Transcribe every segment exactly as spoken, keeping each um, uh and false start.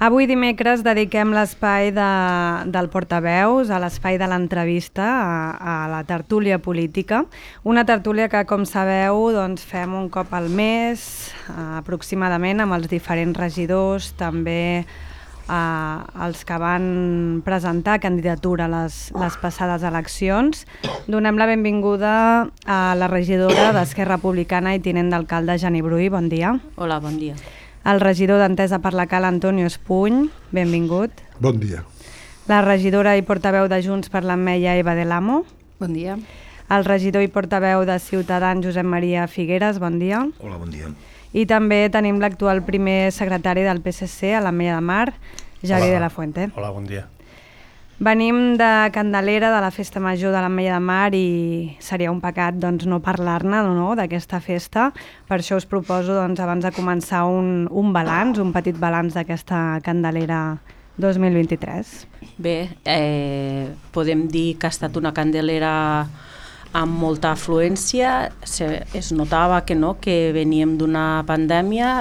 Avui dimecres dediquem l'espai de, del portaveus, a l'espai de l'entrevista, a, a la tertúlia política. Una tertúlia que, com sabeu, doncs, fem un cop al mes, eh, aproximadament, amb els diferents regidors, també eh, els que van presentar candidatura a les, les passades eleccions. Donem la benvinguda a la regidora d'Esquerra Republicana i tinent d'alcalde, Jani Bruy. Bon dia. Hola, bon dia. El regidor d'Entesa per la Cal, Antonio Espuny, benvingut. Bon dia. La regidora i portaveu de Junts per l'Ametlla, Eva de l'Amo. Bon dia. El regidor i portaveu de Ciutadans, Josep Maria Figueres, bon dia. Hola, bon dia. I també tenim l'actual primer secretari del P S C a l'Ametlla de Mar, Javier de la Fuente. Hola, bon dia. Venim de Candelera, de la Festa Major de l'Ametlla de Mar, i seria un pecat doncs, no parlar-ne no, d'aquesta festa. Per això us proposo, doncs, abans de començar, un, un balanç, un petit balanç d'aquesta Candelera dos mil vint-i-tres. Bé, eh, podem dir que ha estat una Candelera amb molta afluència. Se, es notava que no, que veníem d'una pandèmia,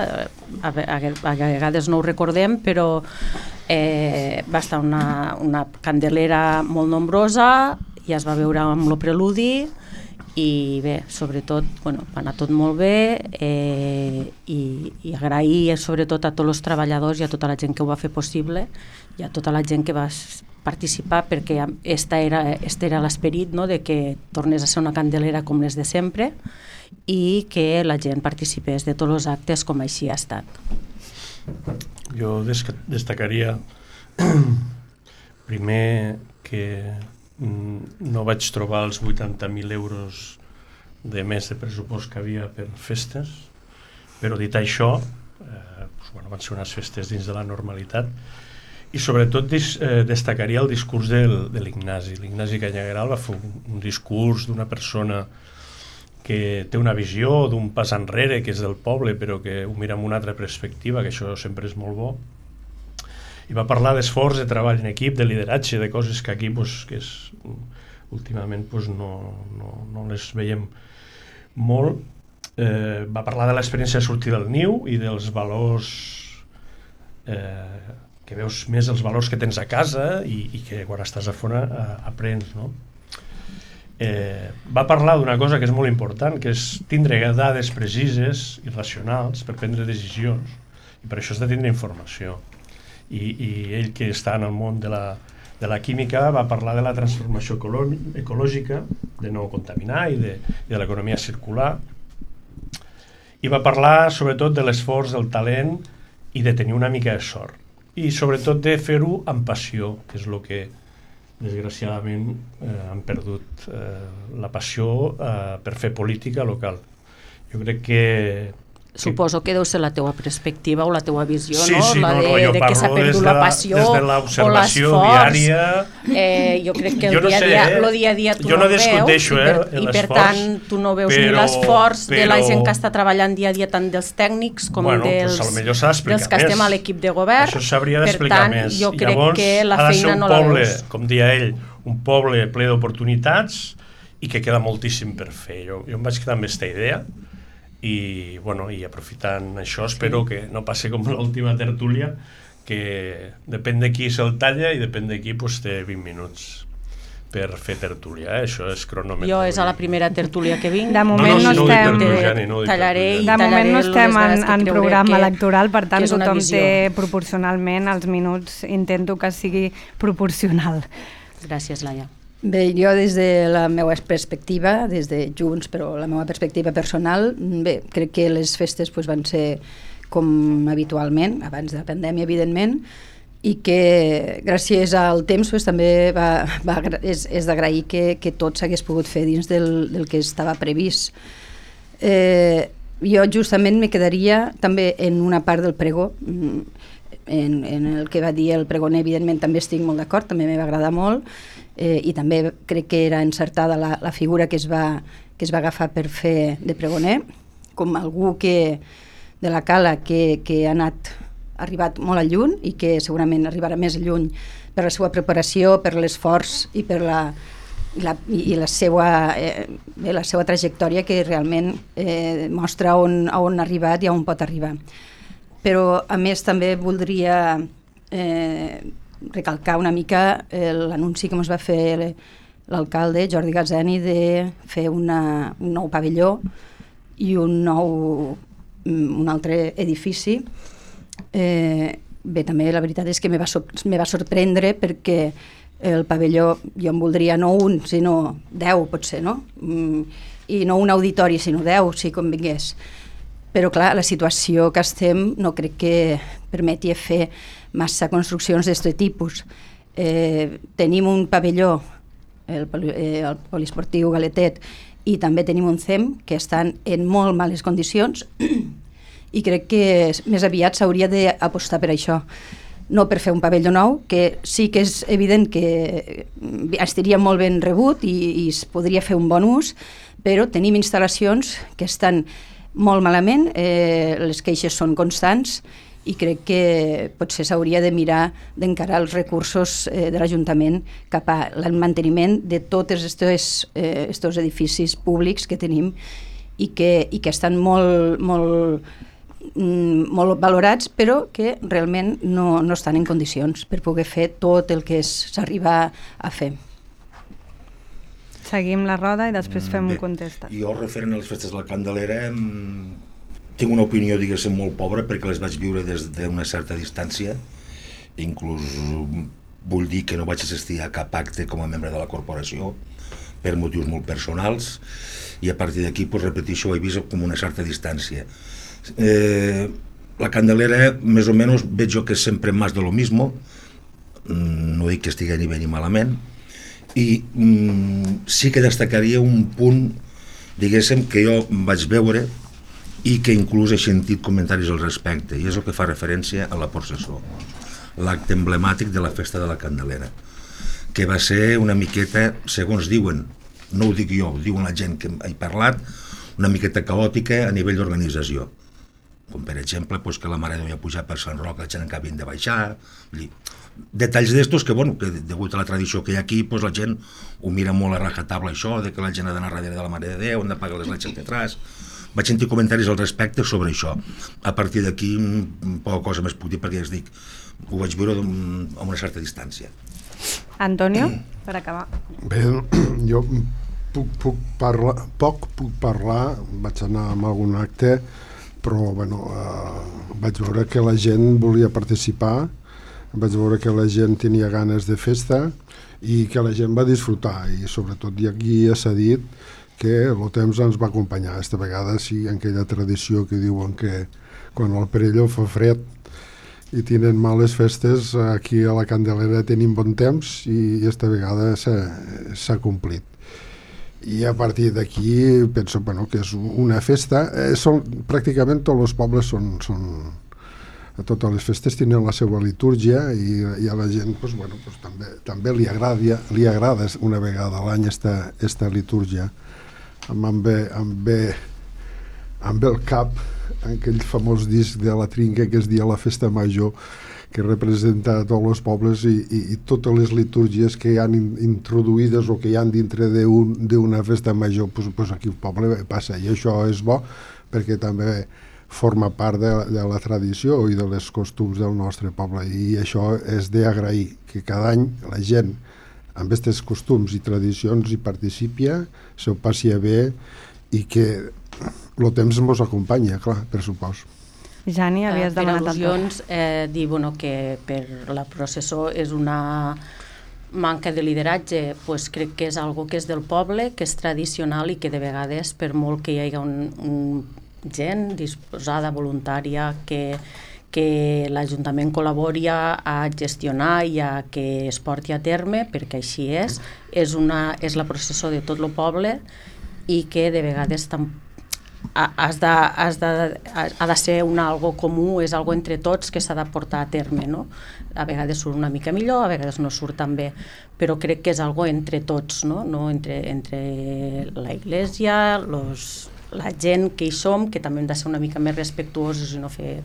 a, a, a vegades no ho recordem, però eh, va estar una, una Candelera molt nombrosa, ja es va veure amb el preludi, i bé, sobretot, bueno, va anar tot molt bé, eh, i, i agrair sobretot a tots els treballadors i a tota la gent que ho va fer possible, i a tota la gent que va participar, perquè este era, este era l'esperit, no?, de que tornés a ser una Candelera com les de sempre i que la gent participés de tots els actes com així ha estat. Jo destacaria primer que no vaig trobar els vuitanta mil euros de més de pressupost que havia per festes, però dit això, eh, doncs, bueno, van ser unes festes dins de la normalitat. I sobretot dis, eh, destacaria el discurs del, de l'Ignasi. L'Ignasi Canyagueral va fer un, un discurs d'una persona que té una visió d'un pas enrere, que és del poble, però que ho mira amb una altra perspectiva, que això sempre és molt bo. I va parlar d'esforç, de treball en equip, de lideratge, de coses que aquí pues, que és, últimament pues, no, no, no les veiem molt. Eh, va parlar de l'experiència de sortir del niu i dels valors... Eh, que veus més els valors que tens a casa i, i que quan estàs a fora eh, aprens, no? Eh, va parlar d'una cosa que és molt important, que és tindre dades precises i racionals per prendre decisions, i per això has de tindre informació. I, i ell, que està en el món de la, de la química, va parlar de la transformació ecològica, de no contaminar i de, i de l'economia circular, i va parlar sobretot de l'esforç, del talent i de tenir una mica de sort, i sobretot de fer-ho amb passió, que és el que desgraciadament eh, han perdut eh, la passió eh, per fer política local. Jo crec que... Suposo que deu ser la teua perspectiva o la teua visió, sí, no? Sí, la no, de, no, jo de que s'ha perdut la passió des de l'observació diària. Eh, jo crec que el jo no dia, sé, dia, eh? lo dia a dia tu jo no, no veus discuteixo, i, per, eh, i per tant tu no veus però, ni l'esforç però... de la gent que està treballant dia a dia, tant dels tècnics com bueno, dels, pues dels que estem a l'equip de govern. Això s'hauria d'explicar més. Jo I crec llavors, que la feina no poble, la veus. Com deia ell, un poble ple d'oportunitats i que queda moltíssim per fer. Jo, jo em vaig quedar amb aquesta idea i, bueno, i aprofitant això espero que no passi com l'última tertúlia, que depèn de qui se'l talla i depèn de qui pues, té vint minuts per fer tertúlia, eh? Això és cronòmetre. Jo és a la primera tertúlia que vinc. De moment no, no, no estem... No Jani, no tallaré i de moment no estem en, en programa que, electoral, per tant tothom visió. té proporcionalment els minuts, intento que sigui proporcional. Gràcies, Laia. Bé, jo des de la meva perspectiva, des de Junts, però la meva perspectiva personal, bé, crec que les festes pues, van ser com habitualment, abans de la pandèmia, evidentment, i que gràcies al temps pues, també va, va, és, és d'agrair que, que tot s'hagués pogut fer dins del, del que estava previst. Eh, jo justament me quedaria també en una part del pregó, en, en el que va dir el pregoner, evidentment també estic molt d'acord, també m'va agradar molt, eh, i també crec que era encertada la, la figura que es, va, que es va agafar per fer de pregoner, com algú que, de la Cala que, que ha anat ha arribat molt a lluny i que segurament arribarà més lluny per la seva preparació, per l'esforç i per la, la, i la, seva, eh, bé, la seva trajectòria que realment eh, mostra on, on ha arribat i on pot arribar. Però a més també voldria eh, recalcar una mica eh, l'anunci que ens va fer l'alcalde Jordi Gazzani de fer una, un nou pavelló i un nou un altre edifici. Eh, bé, també la veritat és que me va, so me va sorprendre perquè el pavelló jo en voldria no un, sinó deu potser, no? Mm, i no un auditori, sinó deu, si convingués. Però clar, la situació que estem no crec que permeti fer massa construccions d'aquest tipus. Eh, tenim un pavelló, el, eh, el poliesportiu Galetet, i també tenim un C E M que estan en molt males condicions i crec que més aviat s'hauria d'apostar per això. No per fer un pavelló nou, que sí que és evident que estaria molt ben rebut i, i es podria fer un bon ús, però tenim instal·lacions que estan molt malament, eh, les queixes són constants i crec que potser s'hauria de mirar d'encarar els recursos eh, de l'Ajuntament cap al manteniment de tots aquests eh, edificis públics que tenim i que, i que estan molt, molt, mm, molt valorats, però que realment no, no estan en condicions per poder fer tot el que s'arriba a fer. Seguim la roda i després fem Bé, un contestat. Jo, referent a les festes de la Candelera, tinc una opinió, diguéssim, molt pobra perquè les vaig viure des d'una certa distància. Inclús vull dir que no vaig assistir a cap acte com a membre de la corporació per motius molt personals i a partir d'aquí, pues, repeteixo, ho he vist com una certa distància. Eh, la Candelera, més o menys, veig jo que és sempre més de lo mismo, no dic que estigui ni bé ni malament, i mm, sí que destacaria un punt, diguéssim, que jo vaig veure i que inclús he sentit comentaris al respecte, i és el que fa referència a la processó, l'acte emblemàtic de la festa de la Candelera, que va ser una miqueta, segons diuen, no ho dic jo, ho diuen la gent que he parlat, una miqueta caòtica a nivell d'organització, com per exemple pues, que la Mare de Déu ja pujar per Sant Roc, la gent encara havien de baixar, detalls d'estos que, bueno, que degut a la tradició que hi ha aquí, pues, la gent ho mira molt a rajatabla això, de que la gent ha d'anar darrere de la Mare de Déu, han de pagar les letges detrás. Vaig sentir comentaris al respecte sobre això. A partir d'aquí poca cosa més puc dir perquè ja es dic, ho vaig veure a una certa distància. Antonio, per acabar. Bé, jo puc, puc parlar, poc puc parlar, vaig anar a algun acte, però bueno, eh, vaig veure que la gent volia participar, vaig veure que la gent tenia ganes de festa i que la gent va disfrutar, i sobretot i aquí ja s'ha dit que el temps ens va acompanyar. Esta vegada sí, en aquella tradició que diuen que quan al Perelló fa fred i tenen males festes, aquí a la Candelera tenim bon temps i esta vegada s'ha complit. I a partir d'aquí penso bueno, que és una festa. Eh, són, pràcticament tots els pobles són, són totes les festes tenen la seva litúrgia i, i a la gent pues, bueno, pues, també, també li, agrada, li agrada una vegada a l'any esta, esta litúrgia. Em ve, em ve, em ve el cap aquell famós disc de la Trinca que es dia la Festa Major, que representa tots els pobles i, i, i totes les litúrgies que hi han in, introduïdes o que hi han dintre d'una un, festa major, pues, pues aquí el poble passa, i això és bo perquè també forma part de, de la tradició i de les costums del nostre poble, i això és d'agrair, que cada any la gent amb aquests costums i tradicions hi participi, s'ho passi bé i que el temps ens acompanya, clar, per supost. Jani, havies per demanat al·lusions, eh, dir bueno, que per la processó és una manca de lideratge, pues crec que és algo que és del poble, que és tradicional i que de vegades, per molt que hi hagi un, un gent disposada, voluntària, que, que l'Ajuntament col·labori a gestionar i a que es porti a terme, perquè així és, és, una, és la processó de tot el poble i que de vegades tampoc has de, has de, ha de ser un algo comú, és algo entre tots que s'ha de portar a terme, no? A vegades surt una mica millor, a vegades no surt tan bé, però crec que és algo entre tots, no? No entre, entre la Iglesia, los, la gent que hi som, que també hem de ser una mica més respectuosos i no fer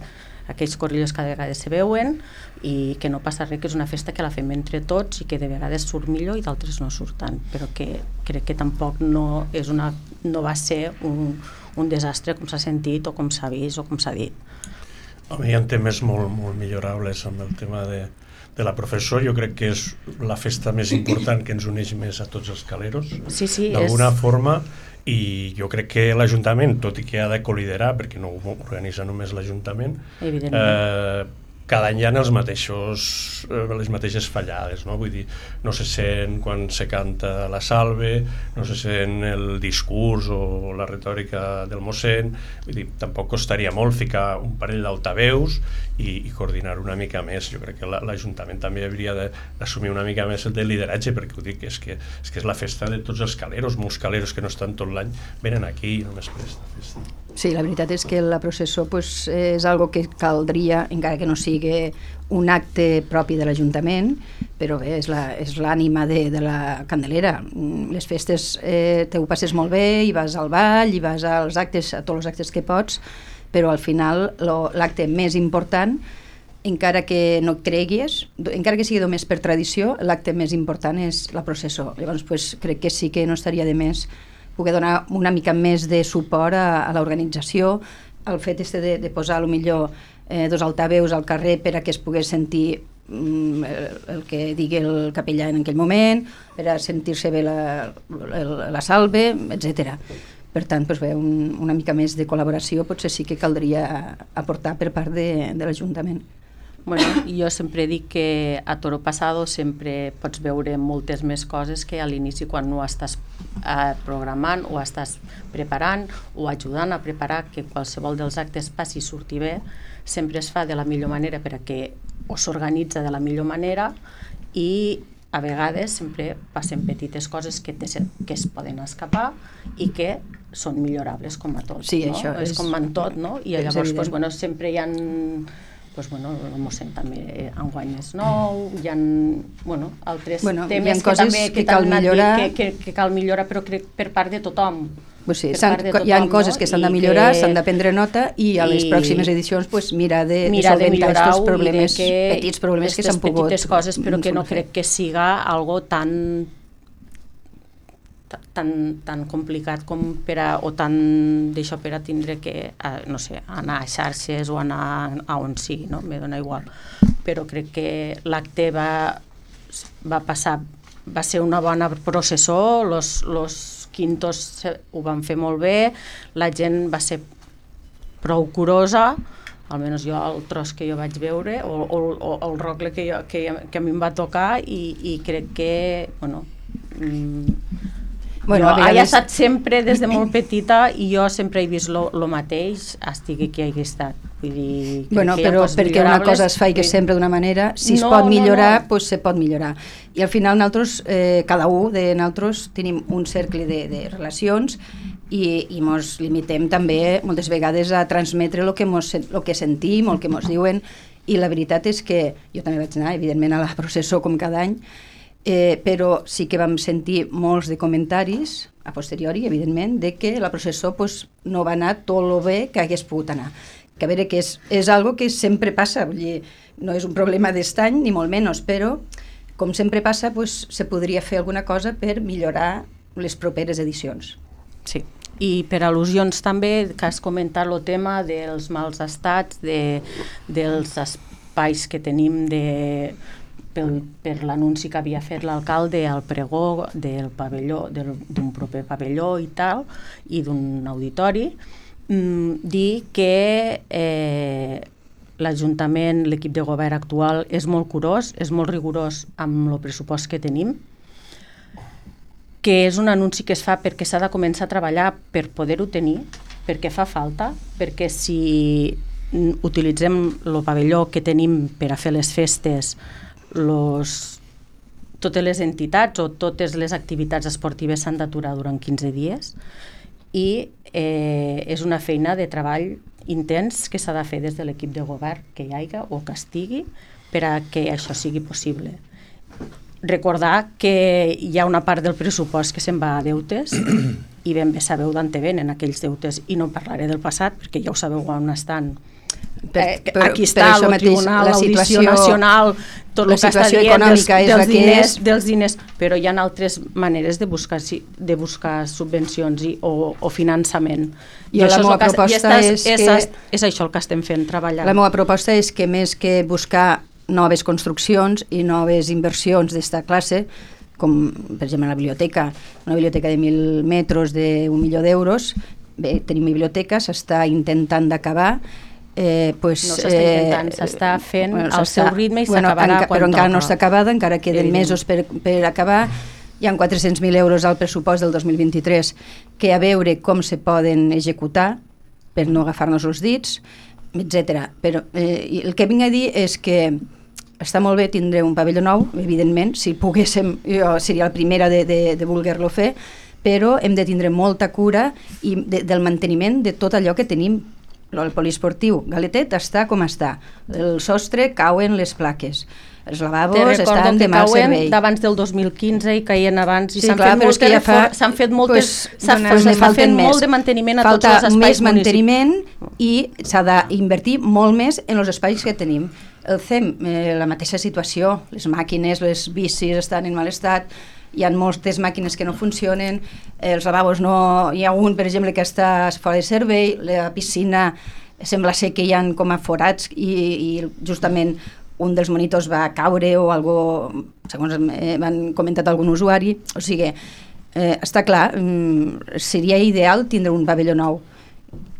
aquells corrillos que de vegades se veuen, i que no passa res, que és una festa que la fem entre tots i que de vegades surt millor i d'altres no surt tant, però que crec que tampoc no, és una, no va ser un, un desastre com s'ha sentit o com s'ha vist o com s'ha dit. Home, hi ha temes molt, molt millorables amb el tema de, de la professor. Jo crec que és la festa més important que ens uneix més a tots els caleros, sí, sí, d'alguna és... forma, i jo crec que l'Ajuntament, tot i que ha de col·liderar, perquè no ho organitza només l'Ajuntament, eh, cada any hi ha els mateixos, les mateixes fallades, no? Vull dir, no se sent quan se canta la salve, no se sent el discurs o la retòrica del mossèn. Vull dir, tampoc costaria molt ficar un parell d'altaveus i, i coordinar una mica més. Jo crec que l'Ajuntament també hauria d'assumir una mica més el de lideratge, perquè ho dic, és que, és que és la festa de tots els caleros. Molts caleros que no estan tot l'any venen aquí i només per aquesta festa. Sí, la veritat és que la processó pues, és algo que caldria, encara que no sigui un acte propi de l'Ajuntament, però bé, és l'ànima de, de la Candelera. Les festes eh, te ho passes molt bé, i vas al ball, i vas als actes, a tots els actes que pots, però al final l'acte més important, encara que no creguis, encara que sigui només per tradició, l'acte més important és la processó. Llavors pues, crec que sí que no estaria de més poder donar una mica més de suport a, a l'organització, el fet este de, de posar a lo millor eh, dos altaveus al carrer per a que es pogués sentir mm, el, el que digui el capellà en aquell moment, per a sentir-se bé la, la, la salve, etcètera. Per tant, doncs bé, un, una mica més de col·laboració potser sí que caldria aportar per part de, de l'Ajuntament. Bueno, jo sempre dic que a Toro Pasado sempre pots veure moltes més coses que a l'inici quan ho estàs eh, programant o estàs preparant o ajudant a preparar que qualsevol dels actes passi i surti bé, sempre es fa de la millor manera per a que o s'organitza de la millor manera i a vegades sempre passen petites coses que, te, que es poden escapar i que són millorables com a tot. Sí, no? això és, és com en tot, no? I llavors pues, bueno, sempre hi ha... Pues, bueno, el mossèn també enguany és nou, hi ha bueno, altres bueno, temes que també que, que, cal millorar. Que, que, que cal millorar, però crec per part de tothom. Pues sí, de tothom, hi ha coses no? que s'han de millorar, que... s'han de prendre nota i a les i... pròximes edicions pues, mirar de, mira de solventar aquests problemes, que petits problemes que s'han pogut... petites coses, però que no crec que siga algo tan... tan, tan complicat com per a, o tan d'això per a tindre que, a, no sé, anar a xarxes o anar a on sigui, no? Me dona igual. Però crec que l'acte va, va passar, va ser una bona processó, los, los quintos ho van fer molt bé, la gent va ser prou curosa, almenys jo el tros que jo vaig veure, o, o, o el rocle que, jo, que, que a mi em va tocar i, i crec que, bueno... Mm, Bueno, jo vegades... he estat sempre des de molt petita i jo sempre he vist el mateix, estigui qui hagi estat. Vull dir, bueno, però perquè una cosa es faci sempre d'una manera, si no, es pot millorar, no, no. Pues se pot millorar. I al final nosaltres, eh, cada un de nosaltres tenim un cercle de, de relacions i, i mos limitem també moltes vegades a transmetre el que, mos, lo que sentim o el que mos diuen, i la veritat és que jo també vaig anar, evidentment, a la processó com cada any, Eh, però sí que vam sentir molts de comentaris, a posteriori, evidentment, de que la processó pues, no va anar tot el bé que hagués pogut anar. Que a veure, que és, és algo que sempre passa, vull dir, no és un problema d'est any, ni molt menys, però, com sempre passa, pues, se podria fer alguna cosa per millorar les properes edicions. Sí. I per al·lusions també, que has comentat el tema dels mals estats, de, dels espais que tenim de... Per, per l'anunci que havia fet l'alcalde al pregó del pavelló, d'un proper pavelló i tal, i d'un auditori, mmm, dir que eh, l'Ajuntament, l'equip de govern actual, és molt curós, és molt rigorós amb el pressupost que tenim, que és un anunci que es fa perquè s'ha de començar a treballar per poder-ho tenir, perquè fa falta, perquè si utilitzem el pavelló que tenim per a fer les festes, Los, totes les entitats o totes les activitats esportives s'han d'aturar durant quinze dies i eh, és una feina de treball intens que s'ha de fer des de l'equip de govern que hi hagi o que estigui per a que això sigui possible. Recordar que hi ha una part del pressupost que se'n va a deutes i ben bé sabeu d'on te venen aquells deutes i no parlaré del passat perquè ja ho sabeu on estan. Per, per, aquí està el Tribunal, l'Audició Nacional, tot la el que està situació dient dels, econòmica és dels, la que diners, és. dels diners, però hi ha altres maneres de buscar, de buscar subvencions i, o, o finançament. Jo la meva proposta és és, que... és, és això el que estem fent, treballant. La meva proposta és que més que buscar noves construccions i noves inversions d'esta classe, com per exemple la biblioteca, una biblioteca de mil metres d'un milió d'euros, bé, tenim biblioteca, s'està intentant d'acabar, Eh, pues, no s'està intentant, eh, s'està fent bueno, al seu ritme i bueno, s'acabarà enca, quan però encara toca. no està acabada, encara queden Evident. mesos per, per acabar. Hi ha quatre-cents mil euros al pressupost del dos mil vint-i-tres que a veure com se poden executar per no agafar-nos els dits, etcètera. Però eh, el que vinc a dir és que està molt bé tindre un pavelló nou, evidentment, si poguéssim, jo seria la primera de, de, de voler-lo fer, però hem de tindre molta cura i de, del manteniment de tot allò que tenim. El poliesportiu Galetet està com està, el sostre cauen les plaques, els lavabos estan de mal servei. D'abans del dos mil quinze i caien abans i sí, s'han clar, fet, moltes, ja fa, s'han fet moltes pues, s'ha pues fet molt de manteniment a falta tots els espais més manteniment municipals. I s'ha d'invertir molt més en els espais que tenim. El C E M, eh, la mateixa situació, les màquines, les bicis estan en mal estat, hi ha moltes màquines que no funcionen, els lavabos no... Hi ha un, per exemple, que està fora de servei, la piscina sembla ser que hi ha com a forats i, i justament un dels monitors va caure o algo, segons m'han comentat algun usuari. O sigui, eh, està clar, seria ideal tindre un pavelló nou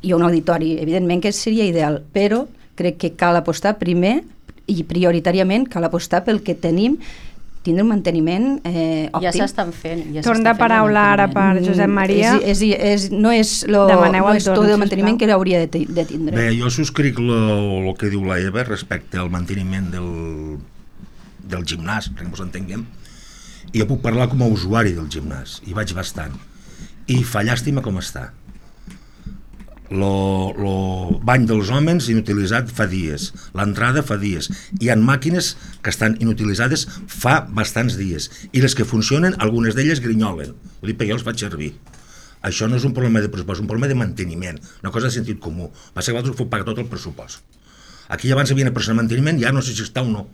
i un auditori, evidentment que seria ideal, però crec que cal apostar primer i prioritàriament cal apostar pel que tenim, tindre un manteniment eh, òptim. Ja s'estan fent. Ja Torn de paraula ara per Josep Maria. És, és, és, no és, lo, no és tot el manteniment que hauria de, de tindre. Bé, jo subscric el que diu la Eva respecte al manteniment del, del gimnàs, perquè ens entenguem. I jo puc parlar com a usuari del gimnàs, i vaig bastant. I fa llàstima com està. El bany dels homes inutilitzat fa dies, l'entrada fa dies, hi ha màquines que estan inutilitzades fa bastants dies i les que funcionen, algunes d'elles grinyolen, ho dic perquè jo els faig servir. Això no és un problema de pressupost, és un problema de manteniment, una cosa de sentit comú. Passa que vosaltres ho pagar tot el pressupost. Aquí abans hi havia una persona de manteniment, ja no sé si està o no.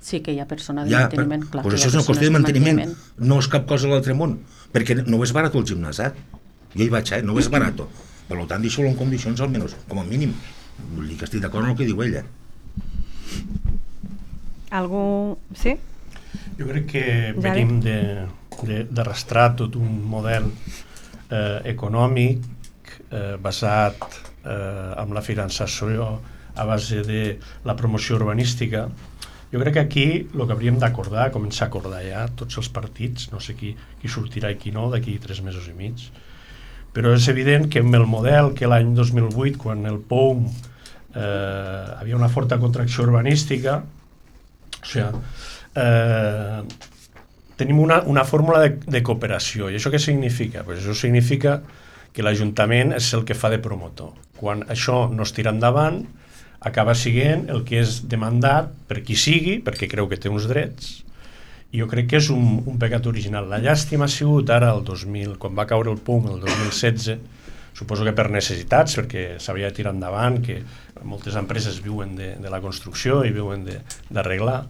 Sí que hi ha persona de ja, manteniment, clar. Pues això és una qüestió de manteniment, manteniment, no és cap cosa a l'altre món, perquè no és barat el gimnàs, eh? Jo hi vaig, eh? No és barat. Per tant, deixo-lo en condicions almenys, com a mínim. Vull dir que estic d'acord amb el que diu ella. Algú... Sí? Jo crec que venim d'arrastrar tot un model eh, econòmic eh, basat eh, en la finançació a base de la promoció urbanística. Jo crec que aquí el que hauríem d'acordar, començar a acordar ja tots els partits, no sé qui, qui sortirà i qui no, d'aquí tres mesos i mig, però és evident que amb el model que l'any dos mil vuit, quan el P O U M eh, havia una forta contracció urbanística, o sigui, eh, tenim una, una fórmula de, de cooperació. I això què significa? Pues això significa que l'Ajuntament és el que fa de promotor. Quan això no es tira endavant, acaba sent el que és demandat per qui sigui, perquè creu que té uns drets. I jo crec que és un, un pecat original. La llàstima ha sigut ara, el dos mil, quan va caure el P O U M, el dos mil setze, suposo que per necessitats, perquè s'hauria de tirar endavant, que moltes empreses viuen de, de la construcció i viuen d'arreglar,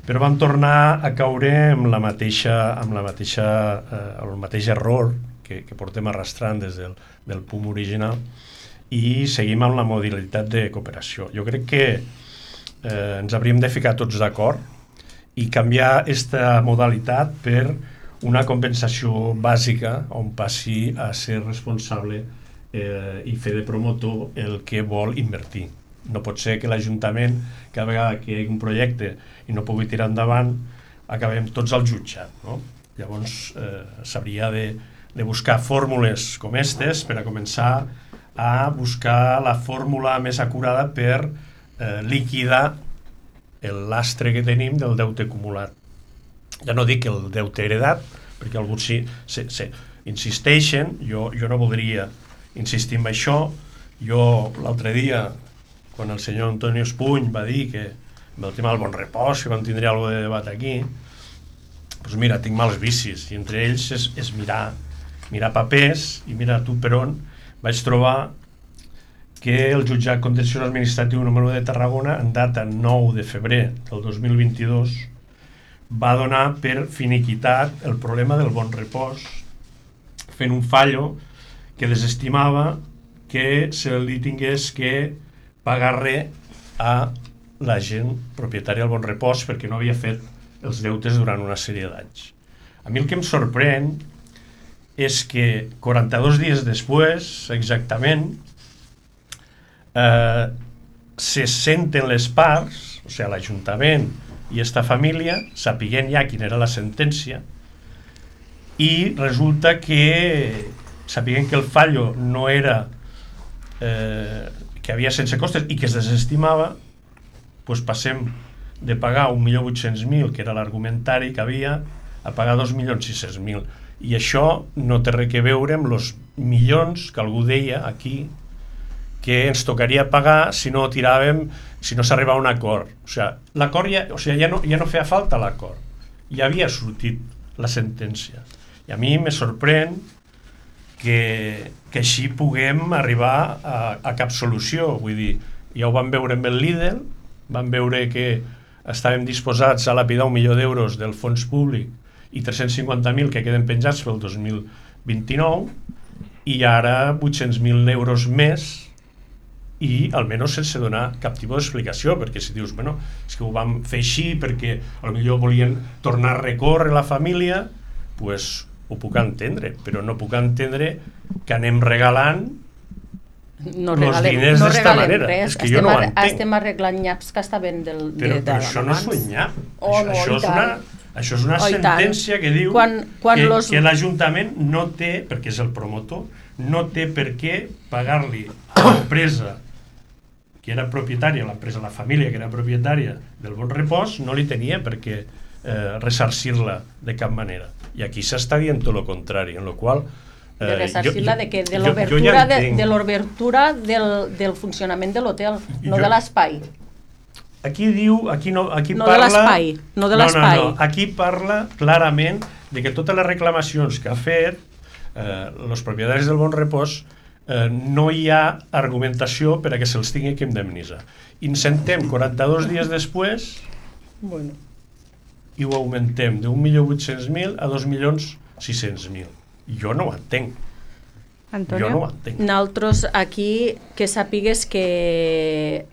però vam tornar a caure amb la mateixa, amb la mateixa, eh, el mateix error que, que portem arrastrant des del, del P O U M original, i seguim amb la modalitat de cooperació. Jo crec que eh, ens hauríem de ficar tots d'acord i canviar aquesta modalitat per una compensació bàsica on passi a ser responsable eh, i fer de promotor el que vol invertir. No pot ser que l'Ajuntament, cada vegada que hi hagi un projecte i no pugui tirar endavant, acabem tots al jutjat, no? Llavors eh, s'hauria de, de buscar fórmules com aquestes per a començar a buscar la fórmula més acurada per eh, liquidar el lastre que tenim del deute acumulat. Ja no dic el deute heredat, perquè alguns sí, sí, sí, insisteixen, jo, jo no voldria insistir en això. Jo l'altre dia, quan el senyor Antonio Espuny va dir que amb el tema del bon repòs, que vam tindre alguna de debat aquí, doncs mira, tinc mals vicis, i entre ells és, és mirar, mirar papers, i mira tu per on vaig trobar que el jutjat contenciós administratiu número de Tarragona, en data nou de febrer del dos mil vint-i-dos, va donar per finiquitat el problema del bon repòs, fent un fallo que desestimava que se li tingués que pagar res a la gent propietària del bon repòs perquè no havia fet els deutes durant una sèrie d'anys. A mi el que em sorprèn és que quaranta-dos dies després, exactament, eh, se senten les parts, o sigui, l'Ajuntament i esta família, sapiguent ja quina era la sentència, i resulta que, sapiguent que el fallo no era, eh, que havia sense costes i que es desestimava, doncs passem de pagar un milió vuit-cents mil, que era l'argumentari que havia, a pagar dos milions sis-cents mil. I això no té res a veure amb els milions que algú deia aquí que ens tocaria pagar si no tiràvem, si no s'arribava a un acord. O sigui, l'acord ja, o sigui, ja, no, ja no feia falta l'acord, ja havia sortit la sentència. I a mi me sorprèn que, que així puguem arribar a, a cap solució. Vull dir, ja ho vam veure amb el Lidl, vam veure que estàvem disposats a lapidar un milió d'euros del fons públic i tres-cents cinquanta mil que queden penjats pel dos mil vint-i-nou, i ara vuit-cents mil euros més, i almenys sense donar cap tipus d'explicació, perquè si dius, bueno, és que ho vam fer així perquè potser volien tornar a recórrer la família, pues ho puc entendre, però no puc entendre que anem regalant no els regalem, diners no d'esta regalem manera. res. És que estem jo no ho ar- entenc. Estem arreglant nyaps que estaven del, Però, de, però de, això no és un nyap. Oh, això, no, això, i és una, tant. això és una Oh, i tant. sentència que diu Quan- quan que, los- que l'Ajuntament no té, perquè és el promotor, no té per què pagar-li a l'empresa que era propietària, l'empresa, la família que era propietària del Bon Repòs, no li tenia per què eh, ressarcir-la de cap manera. I aquí s'està dient tot el contrari, en la qual eh, de ressarcir-la de, que, de jo- jo l'obertura ja de, entenc. de l'obertura del, del funcionament de l'hotel, no Jo- de l'espai. Aquí diu, aquí no, aquí No de parla... l'espai, no de l'espai. No, no, no, aquí parla clarament de que totes les reclamacions que ha fet eh, els propietaris del Bon Repòs eh, no hi ha argumentació per a que se'ls tingui que indemnitzar. I ens sentem quaranta-dos dies després Bueno. i ho augmentem d'un milió vuit-cents mil a dos milions sis-cents mil. Jo no ho entenc. Antonio? Jo no ho entenc. Nosaltres aquí que sàpigues que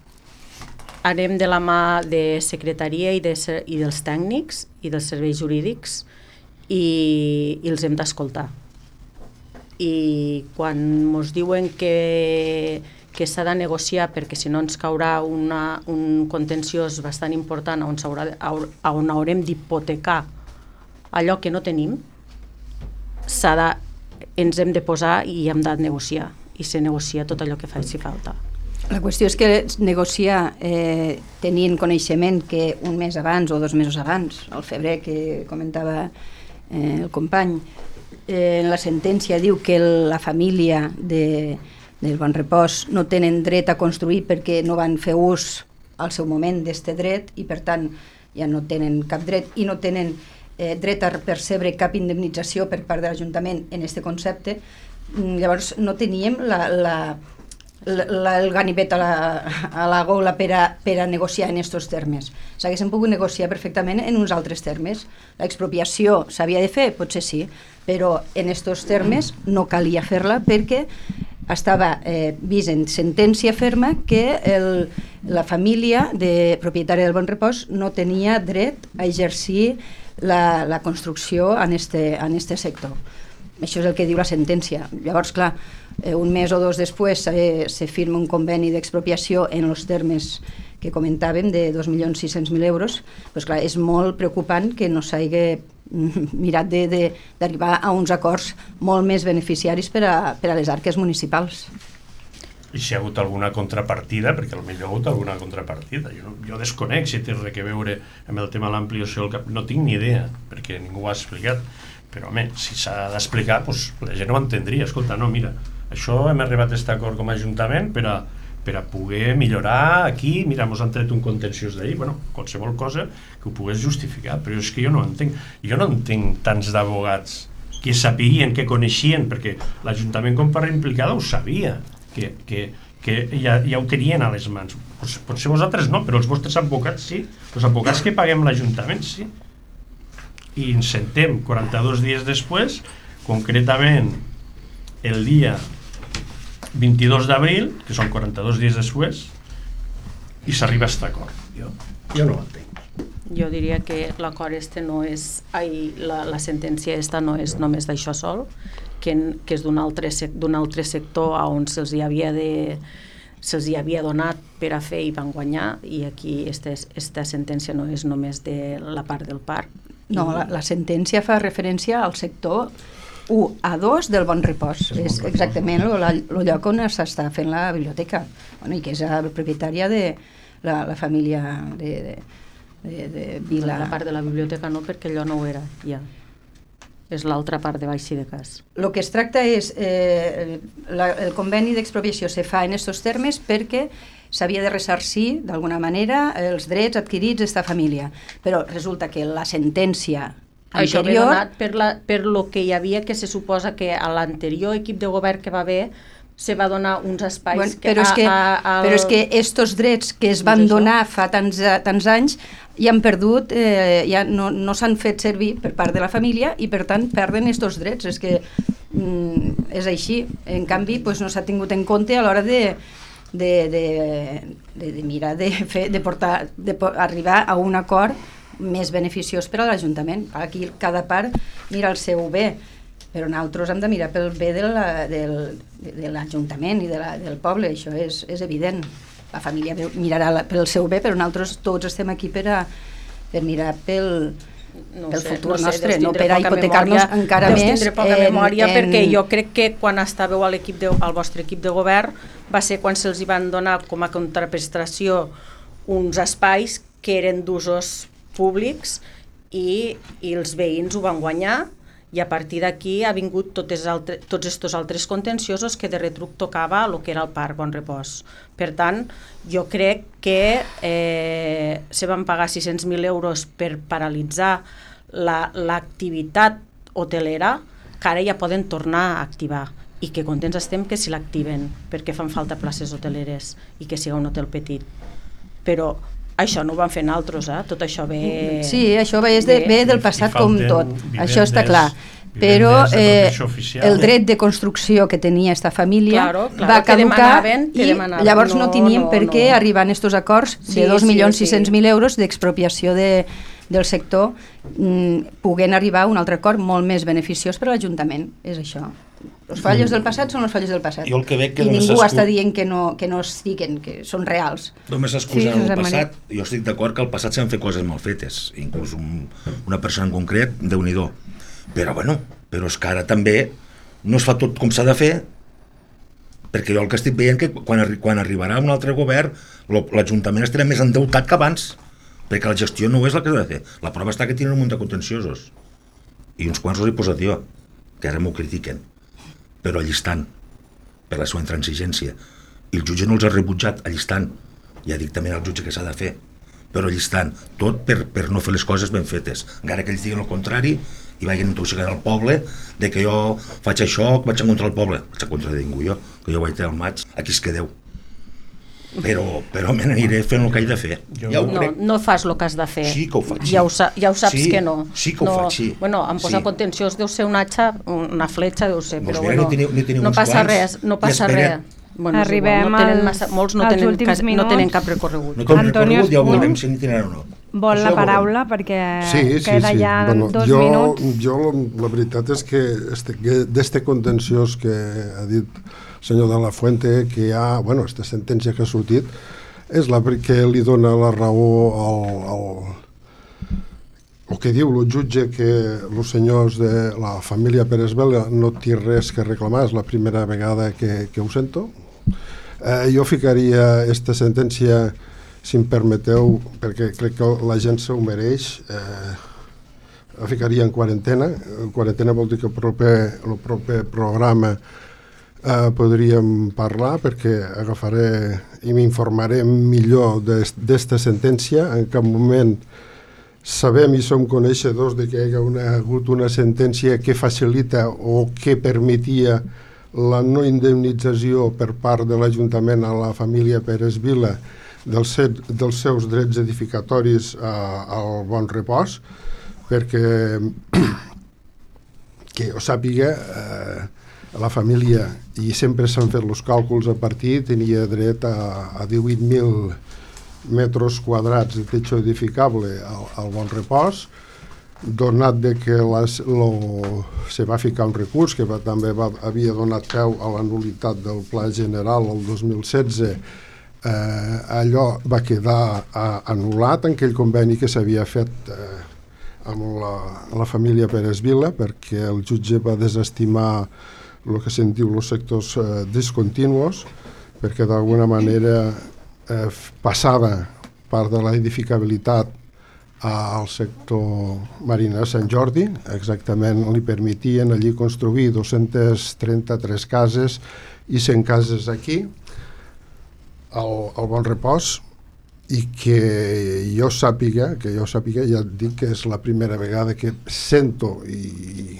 anem de la mà de secretaria i, de, ser- i dels tècnics i dels serveis jurídics i, i els hem d'escoltar. I quan ens diuen que, que s'ha de negociar perquè si no ens caurà una, un contenciós bastant important on, s'haurà de- a on haurem d'hipotecar allò que no tenim, s'ha de, ens hem de posar i hem de negociar i se negocia tot allò que faci falta. La qüestió és que negociar eh, tenint coneixement que un mes abans o dos mesos abans, al febrer que comentava eh, el company, eh, en la sentència diu que la família de, del Bon Repòs no tenen dret a construir perquè no van fer ús al seu moment d'este dret i per tant ja no tenen cap dret i no tenen eh, dret a percebre cap indemnització per part de l'Ajuntament en este concepte. Llavors no teníem la, la La, el ganivet a la, a la gola per a, per a negociar en aquests termes. S'haguessin pogut negociar perfectament en uns altres termes. L'expropiació s'havia de fer? Potser sí, però en aquests termes no calia fer-la perquè estava eh, vist en sentència ferma que el, la família de propietària del Bon Repòs no tenia dret a exercir la, la construcció en este, en este sector. Això és el que diu la sentència. Llavors, clar, eh, un mes o dos després se, se firma un conveni d'expropiació en els termes que comentàvem de dos milions sis-cents mil euros. Pues, clar, és molt preocupant que no s'hagi mirat d'arribar a uns acords molt més beneficiaris per a, per a les arques municipals. I si hi ha hagut alguna contrapartida, perquè potser hi ha hagut alguna contrapartida. Jo, jo desconec si té res a veure amb el tema de l'ampliació del cap. No tinc ni idea, perquè ningú ho ha explicat. Però, home, si s'ha d'explicar, doncs, la gent ho entendria. Escolta, no, mira, això hem arribat a aquest acord com a Ajuntament per a, per a poder millorar aquí, mira, ens han tret un contenciós d'ahir, bueno, qualsevol cosa que ho pogués justificar, però és que jo no entenc. Jo no entenc tants d'abogats que sapiguien, que coneixien, perquè l'Ajuntament com part implicada ho sabia, que, que, que ja, ja ho tenien a les mans. Potser vosaltres no, però els vostres advocats sí. Els advocats que paguem l'Ajuntament sí. I ens sentem quaranta-dos dies després, concretament el dia vint-i-dos d'abril, que són quaranta-dos dies després, i s'arriba a aquest acord. Jo, jo no ho entenc. Jo diria que l'acord este no és, ai, la, la sentència esta no és només d'això sol, que, que és d'un altre, d'un altre sector on se'ls hi havia de se'ls hi havia donat per a fer i van guanyar, i aquí esta, esta sentència no és només de la part del parc. No, la, la sentència fa referència al sector u a dos del Bon Repòs. És exactament el lloc on s'està fent la biblioteca, bueno, i que és la propietària de la, la família de, de, de, de Vila. La part de la biblioteca no, perquè allò no ho era, ja. És l'altra part de baix i de cas. El que es tracta és, eh, la, el conveni d'expropiació se fa en aquests termes perquè s'havia de ressarcir d'alguna manera els drets adquirits d'esta família, però resulta que la sentència anterior... Això ve donat per, la, per lo que hi havia, que se suposa que a l'anterior equip de govern que va haver se va donar uns espais... Bueno, però, és que, a, a, però és que estos drets que es van donar fa tants, tants anys ja han perdut, eh, ja no, no s'han fet servir per part de la família i per tant perden estos drets. És que mm, és així. En canvi, pues, no s'ha tingut en compte a l'hora de, de, de, de, de mirar de, fer, de, portar, de arribar a un acord més beneficiós per a l'Ajuntament. Aquí cada part mira el seu bé, però nosaltres hem de mirar pel bé de l'Ajuntament i de la, del poble, això és, és evident. La família mirarà la, pel seu bé, però nosaltres tots estem aquí per, a, per mirar pel, no pel sé, futur no sé, nostre, no per a hipotecar-nos encara deus més. Deus tindre poca en, memòria, en... perquè jo crec que quan estàveu a l'equip de, al vostre equip de govern va ser quan se'ls van donar com a contraprestació uns espais que eren d'usos públics i, i els veïns ho van guanyar, i a partir d'aquí ha vingut totes altre, tots estos altres contenciosos que de retruc tocava el que era el Parc Bon Repòs. Per tant, jo crec que eh, se van pagar sis-cents mil euros per paralitzar l'activitat la, hotelera, que ara ja poden tornar a activar, i que contents estem que si l'activen, perquè fan falta places hoteleres i que sigui un hotel petit. Però això no ho van fer naltros, eh? Tot això ve... Sí, això ve, de, ve del passat com tot, això està clar. Però eh, el dret de construcció que tenia esta família claro, claro, va caducar i llavors no, no tenien no, per què no. arribar a aquests acords sí, de dos milions sis-cents mil sí, sí. euros d'expropiació de, del sector, mm, puguent arribar a un altre acord molt més beneficiós per a l'Ajuntament. És això. Els fallos del passat són els fallos del passat. Jo el que veig que I ningú escu... està dient que no, que no estiguen, que són reals. Només s'excusen sí, el passat. Jo estic d'acord que al passat s'han fet coses mal fetes, inclús un, una persona en concret, Déu-n'hi-do. Però bueno, però és que ara també no es fa tot com s'ha de fer, perquè jo el que estic veient que quan, arri quan arribarà un altre govern l'Ajuntament estarà més endeutat que abans, perquè la gestió no és la que ha de fer. La prova està que tenen un munt de contenciosos i uns quants els he posat jo, que ara m'ho critiquen, però allí estan, per la seva intransigència, i el jutge no els ha rebutjat, allí estan, ja dic també al jutge que s'ha de fer, però allí estan, tot per, per no fer les coses ben fetes, encara que ells diguin el contrari i vagin intoxicant el poble de que jo faig això, que vaig en contra del poble. Vaig en contra de ningú jo, que jo vaig al maig, aquí es quedeu. Però, però me n'aniré fent el que he de fer. Jo... Ja no, no fas el que has de fer. Sí que ho faig. Sí. Ja, ho sa ja ho saps sí, que no. Sí que ho no, faig, sí. Bueno, em posa sí. contenciós, deu ser un atxa, una fletxa, deu ser, però bueno, teniu, no passa res, no passa res. Bueno, Arribem no tenen massa, molts no tenen, cas, no tenen cap recorregut. No tenen Antonio recorregut, ja ho veurem si n'hi tenen o no. Vol la paraula perquè sí, sí, queda sí. ja bueno, dos jo, minuts. Jo la veritat és que este, d'este contenciós que ha dit el senyor de la Fuente, que hi ha, bueno, esta sentència que ha sortit, és la que li dona la raó al, al el que diu el jutge, que els senyors de la família Pérez Vela no té res que reclamar, és la primera vegada que, que ho sento. Eh, jo ficaria esta sentència, si em permeteu, perquè crec que la gent se ho mereix, eh, la ficaria en quarantena. En quarantena vol dir que el proper, el proper programa eh, podríem parlar, perquè agafaré i m'informaré millor d'esta sentència. En cap moment sabem i som coneixedors de que hi ha una, hagut una sentència que facilita o que permetia la no indemnització per part de l'Ajuntament a la família Pérez Vila dels, set, dels seus drets edificatoris a, al Bon Repòs, perquè que ho sàpiga, eh, la família, i sempre s'han fet els càlculs a partir, tenia dret a, a divuit mil metres quadrats de techo edificable al, al Bon Repòs, donat de que les, lo, se va ficar un recurs que va, també va, havia donat peu a la nulitat del Pla General el dos mil setze, eh, allò va quedar eh, anul·lat en aquell conveni que s'havia fet eh, amb la, la família Pérez Vila, perquè el jutge va desestimar el que se'n diu els sectors eh, discontinuos, perquè d'alguna manera eh, passava part de la edificabilitat al sector Marina de Sant Jordi. Exactament li permetien allí construir dos-centes trenta-tres cases i cent cases aquí al, al Bon Repòs, i que jo sàpiga, que jo sàpiga, ja et dic que és la primera vegada que sento i,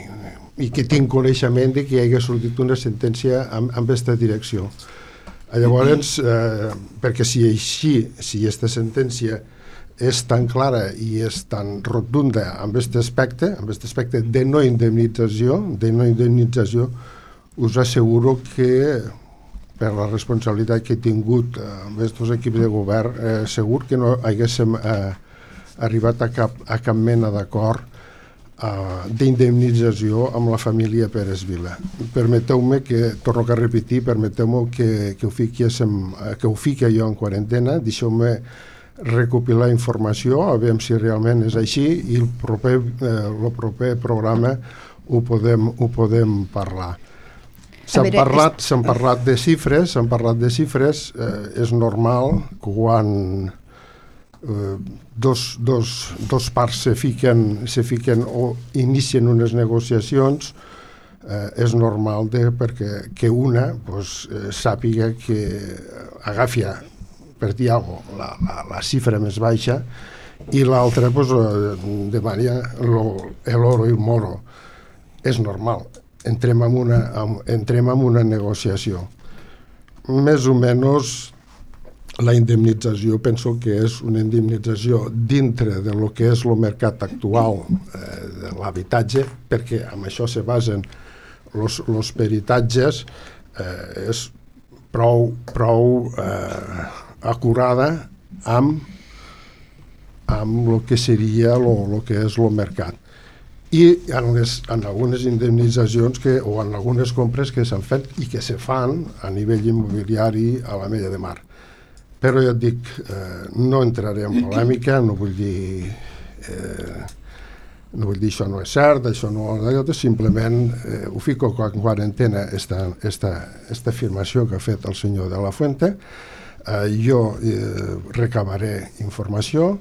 i que tinc coneixement de que hi hagi sortit una sentència amb, amb aquesta direcció. Llavors, eh, perquè si així, si aquesta sentència és tan clara i és tan rotunda amb aquest aspecte, amb aquest aspecte de no indemnització, de no indemnització, us asseguro que per la responsabilitat que he tingut eh, amb aquests equips de govern, eh, segur que no haguéssim eh, arribat a cap, a cap mena d'acord eh, d'indemnització amb la família Pérez Vila. Permeteu-me que, torno a repetir, permeteu-me que, que, ho fiquéssim, que ho fiqui jo en quarantena, deixeu-me recopilar informació, a veure si realment és així, i el proper, eh, el proper programa ho podem, ho podem parlar. S'han parlat, s'han parlat de xifres, s'han parlat de xifres, eh, és normal que quan eh, dos, dos, dos parts se fiquen, se fiquen o inicien unes negociacions, eh, és normal de, perquè que una pues, eh, sàpiga que agafi, per dir alguna cosa, la, la, la xifra més baixa, i l'altra pues, eh, demani l'oro i el moro. És normal. Entrem en, una, entrem en una negociació. Més o menys la indemnització penso que és una indemnització dintre de lo que és el mercat actual eh, de l'habitatge, perquè amb això se basen els peritatges, eh, és prou, prou eh, acurada amb, amb el que seria el que és el mercat. I en, les, en algunes indemnitzacions que, o en algunes compres que s'han fet i que se fan a nivell immobiliari a la Mella de Mar. Però ja et dic, eh, no entraré en polèmica, no vull dir eh, no vull dir això no és cert, això no és simplement eh, ho fico en quarantena esta, esta, esta afirmació que ha fet el senyor de la Fuente. Eh, jo eh, recabaré informació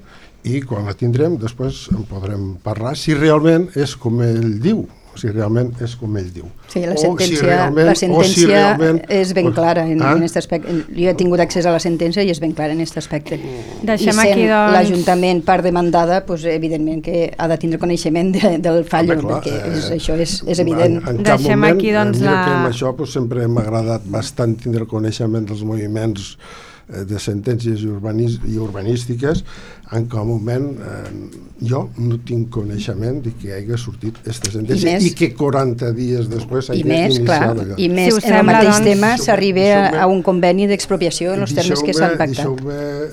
i quan la tindrem després en podrem parlar si realment és com ell diu, si realment és com ell diu. Sí, la sentència, si realment, la sentència si realment, és ben clara en, ah? en aquest aspecte. Jo he tingut accés a la sentència i és ben clara en aquest aspecte. Deixem I sent aquí, doncs... l'Ajuntament part demandada, pues, evidentment que ha de tindre coneixement de, del fallo, home, clar, perquè és, això és, és evident. En, en cap Deixem moment, aquí, doncs, mira la... que amb això pues, sempre m'ha agradat bastant tindre el coneixement dels moviments de sentències i, urbanis, i urbanístiques. En cap moment eh, jo no tinc coneixement de que hagi sortit aquesta sentència i, més, i que quaranta dies després hagi iniciat allò. I més, si en el mateix doncs, tema s'arriba a un conveni d'expropiació en els termes que s'han pactat.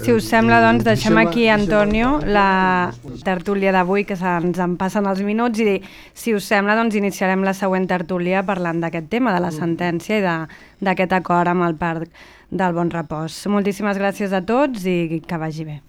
Si us sembla, doncs, deixem aquí, Antonio, la tertúlia d'avui, que se'ns en passen els minuts, i si us sembla, doncs, iniciarem la següent tertúlia parlant d'aquest tema, de la sentència i d'aquest acord amb el Parc del Bon Repòs. Moltíssimes gràcies a tots i que vagi bé.